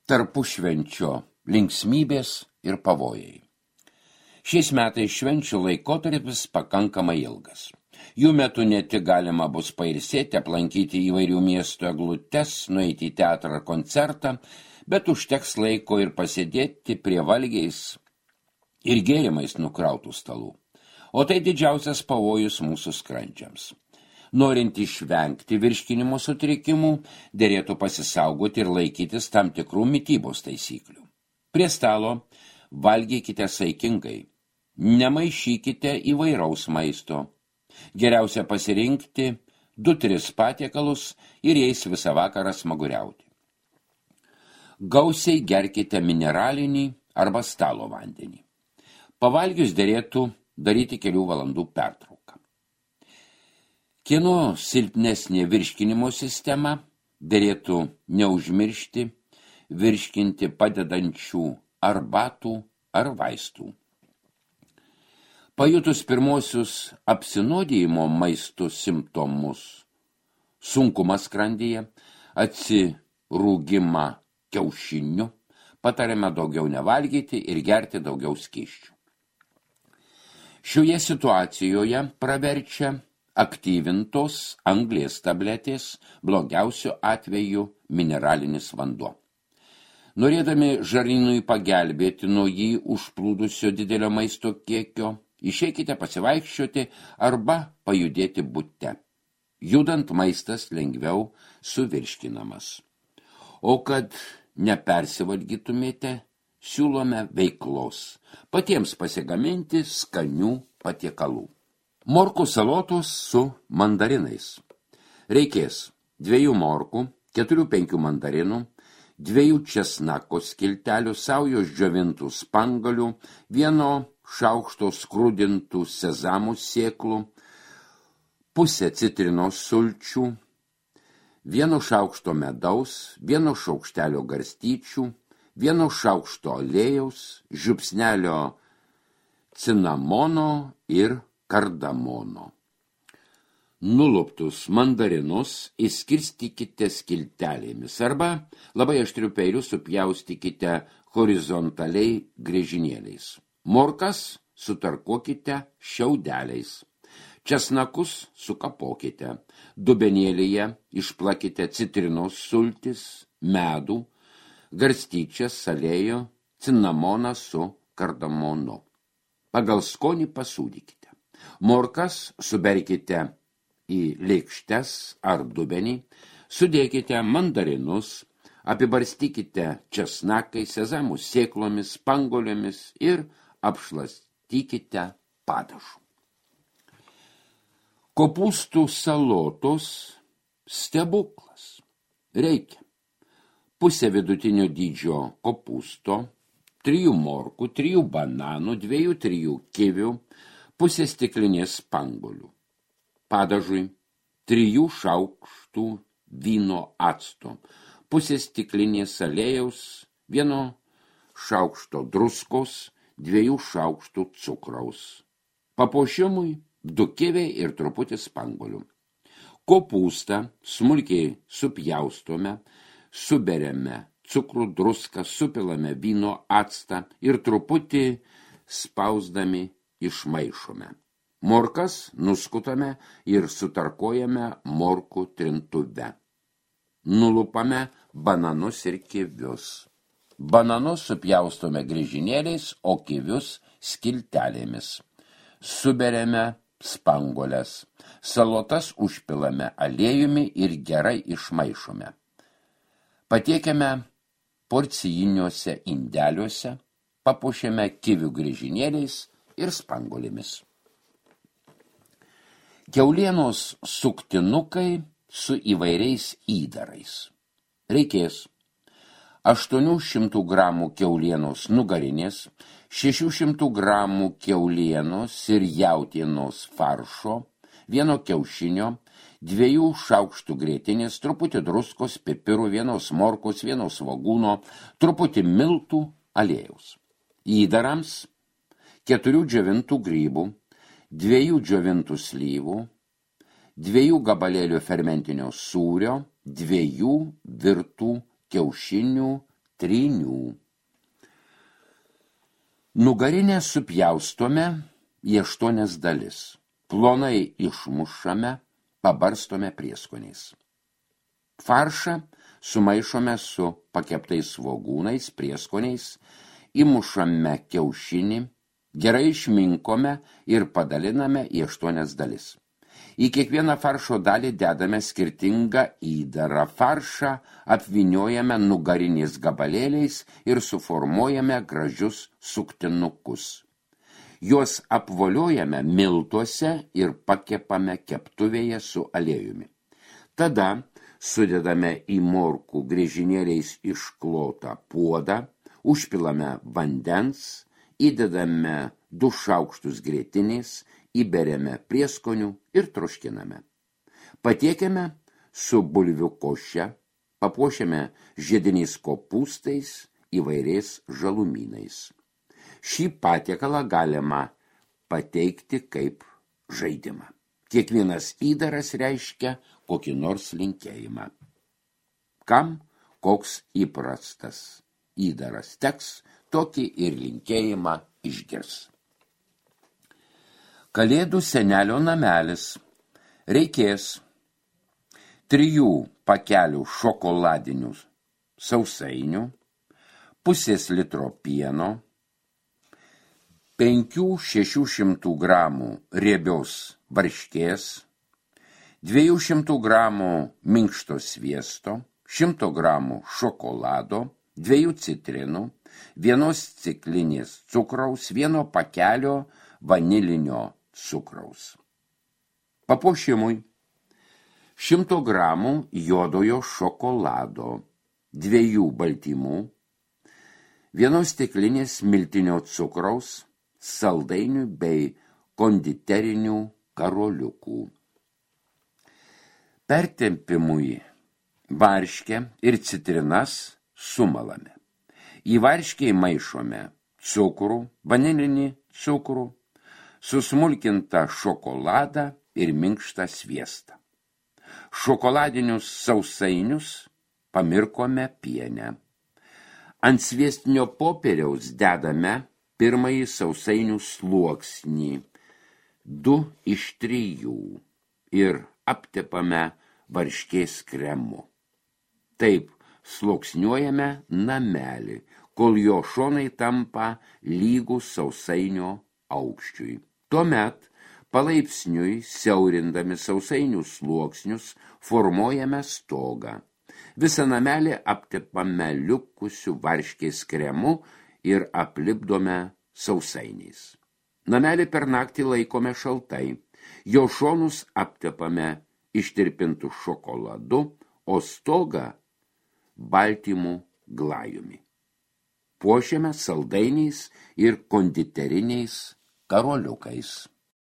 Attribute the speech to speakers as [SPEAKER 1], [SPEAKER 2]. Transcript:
[SPEAKER 1] Tarpušvenčio linksmybės ir pavojai. Šiais metais švenčių laikotarpis pakankamai ilgas. Jų metu ne tik galima bus pailsėti, aplankyti įvairių miestų eglutes, nueiti į teatrą ar koncertą, bet užteks laiko ir pasėdėti prie valgiais ir gėrimais nukrautų stalų. O tai didžiausias pavojus mūsų skrandžiams. Norint išvengti virškinimo sutrikimų, derėtų pasisaugoti ir laikytis tam tikrų mitybos taisyklių. Prie stalo valgykite saikingai, nemaišykite įvairaus maisto. Geriausia pasirinkti 2-3 patiekalus ir jais visą vakarą smaguriauti. Gausiai gerkite mineralinį arba stalo vandenį. Pavalgius derėtų daryti kelių valandų pertrauką. Kieno silpnesnė virškinimo sistema, derėtų neužmiršti virškinti padedančių arbatų ar vaistų. Pajutus pirmosius apsinuodijimo maistu simptomus, sunkumas skrandyje, atsirūgimą kiaušiniu, patariame daugiau nevalgyti ir gerti daugiau skysčių. Šioje situacijoje praverčia aktyvintos anglies tabletės, blogiausiu atveju mineralinis vanduo. Norėdami žarnynui pagelbėti nuo jį užplūdusio didelio maisto kiekio, išeikite pasivaikščioti arba pajudėti bute. Judant maistas lengviau suvirškinamas. O kad nepersivalgytumėte, siūlome veiklos, patiems pasigaminti skanių patiekalų. Morkų salotos su mandarinais. Reikės 2 morkų, 4-5 mandarinų, 2 česnako skiltelių, saujos džiovintų spangalių, 1 šaukšto skrudintų sezamų sėklų, pusę citrinos sulčių, 1 šaukšto medaus, 1 šaukštelio garstyčių, 1 šaukšto aliejaus, žiupsnelio cinamono ir kardamono. Nuluptus mandarinus išskirstykite skiltelėmis arba labai aštriu peiliu supjaustykite horizontaliai griežinėliais. Morkas sutarkuokite šiaudeliais. Česnakus sukapokite. Dubenėlyje išplakite citrinos sultis, medų, garstyčias, aliejų, cinamoną su kardamonu. Pagal skonį pasūdykite. Morkas suberkite į lėkštes ar dubenį, sudėkite mandarinus, apibarstykite česnakai, sezamų sėklomis, spangolėmis ir apšlastykite padažu. Kopūstų salotos stebuklas. Reikia pusę vidutinio dydžio kopūsto, 3 morkų, 3 bananų, 2-3 kivių, pusę stiklinės spangolių. Padažui 3 šaukštų vyno acto, pusę stiklinės aliejaus, 1 šaukšto druskos, 2 šaukštų cukraus. Papuošimui 2 kiviai ir truputį spangolių. Kopūstą smulkiai supjaustome, suberiame cukrų, druską, supilame vyno actą ir truputį spausdami išmaišome. Morkas nuskutame ir sutarkuojame morkų trintuve. Nulupame bananus ir kivius. Bananus supjaustome griežinėliais, o kivius skiltelėmis. Suberiame spangolės. Salotas užpilame aliejumi ir gerai išmaišome. Patiekiame porcijiniuose indeliuose, papuošiame kivių griežinėliais ir spangolėmis. Kiaulienos suktinukai su įvairiais įdarais. Reikės 800 gramų kiaulienos nugarinės, 600 gramų kiaulienos ir jautienos faršo, 1 kiaušinio, 2 šaukštų grietinės, truputį druskos, pipirų, 1 morkos, 1 svogūno, truputį miltų, aliejaus. Įdarams 4 džiovintų grybų, 2 džiovintų slyvų, 2 gabalėlių fermentinio sūrio, 2 virtų kiaušinių, trynių. Nugarinę supjaustome į 8 dalis. Plonai išmušame, pabarstome prieskoniais. Faršą sumaišome su pakeptais svogūnais, prieskoniais, įmušame kiaušinį, gerai išminkome ir padaliname į 8 dalis. Į kiekvieną faršo dalį dedame skirtingą įdarą. Faršą apvyniojame nugariniais gabalėliais ir suformuojame gražius suktinukus. Juos apvoliojame miltuose ir pakepame keptuvėje su aliejumi. Tada sudedame į morkų griežinėliais išklotą puodą, užpilame vandens, įdedame 2 šaukštus grietinės, įberiame prieskonių ir troškiname. Patiekiame su bulvių koše, papuošiame žiediniais kopūstais, įvairiais žalumynais. Šį patiekalą galima pateikti kaip žaidimą. Kiekvienas įdaras reiškia kokį nors linkėjimą. Kam koks įprastas įdaras teks, tokį ir linkėjimą išgirs. Kalėdų senelio namelis. Reikės 3 pakelių šokoladinių sausainių, pusės litro pieno, 500–600 gramų riebios varškės, 200 gramų minkšto sviesto, 100 gramų šokolado, 2 citrinų, 1 stiklinės cukraus, 1 pakelio vanilinio cukraus. Papuošimui 100 gramų juodojo šokolado, 2 baltymų, 1 stiklinės miltinio cukraus, saldainių bei konditerinių karoliukų. Pertempimui varškę ir citrinas sumalame. Į varškę įmaišome cukrų, vanilinį cukrų, susmulkintą šokoladą ir minkštą sviestą. Šokoladinius sausainius pamirkome piene. Ant sviestinio popieriaus dedame pirmąjį sausainių sluoksnį, 2 iš 3, ir aptepame varškės kremu. Taip sluoksniuojame namelį, kol jo šonai tampa lygus sausainio aukščiui. Tuomet palaipsniui, siaurindami sausainių sluoksnius, formuojame stogą. Visą namelį aptepame likusiu varškės kremu ir aplipdome sausainiais. Namelį per naktį laikome šaltai. Jo šonus aptepame ištirpintų šokoladu, o stogą baltymų glajumi. Puošiame saldainiais ir konditeriniais karoliukais.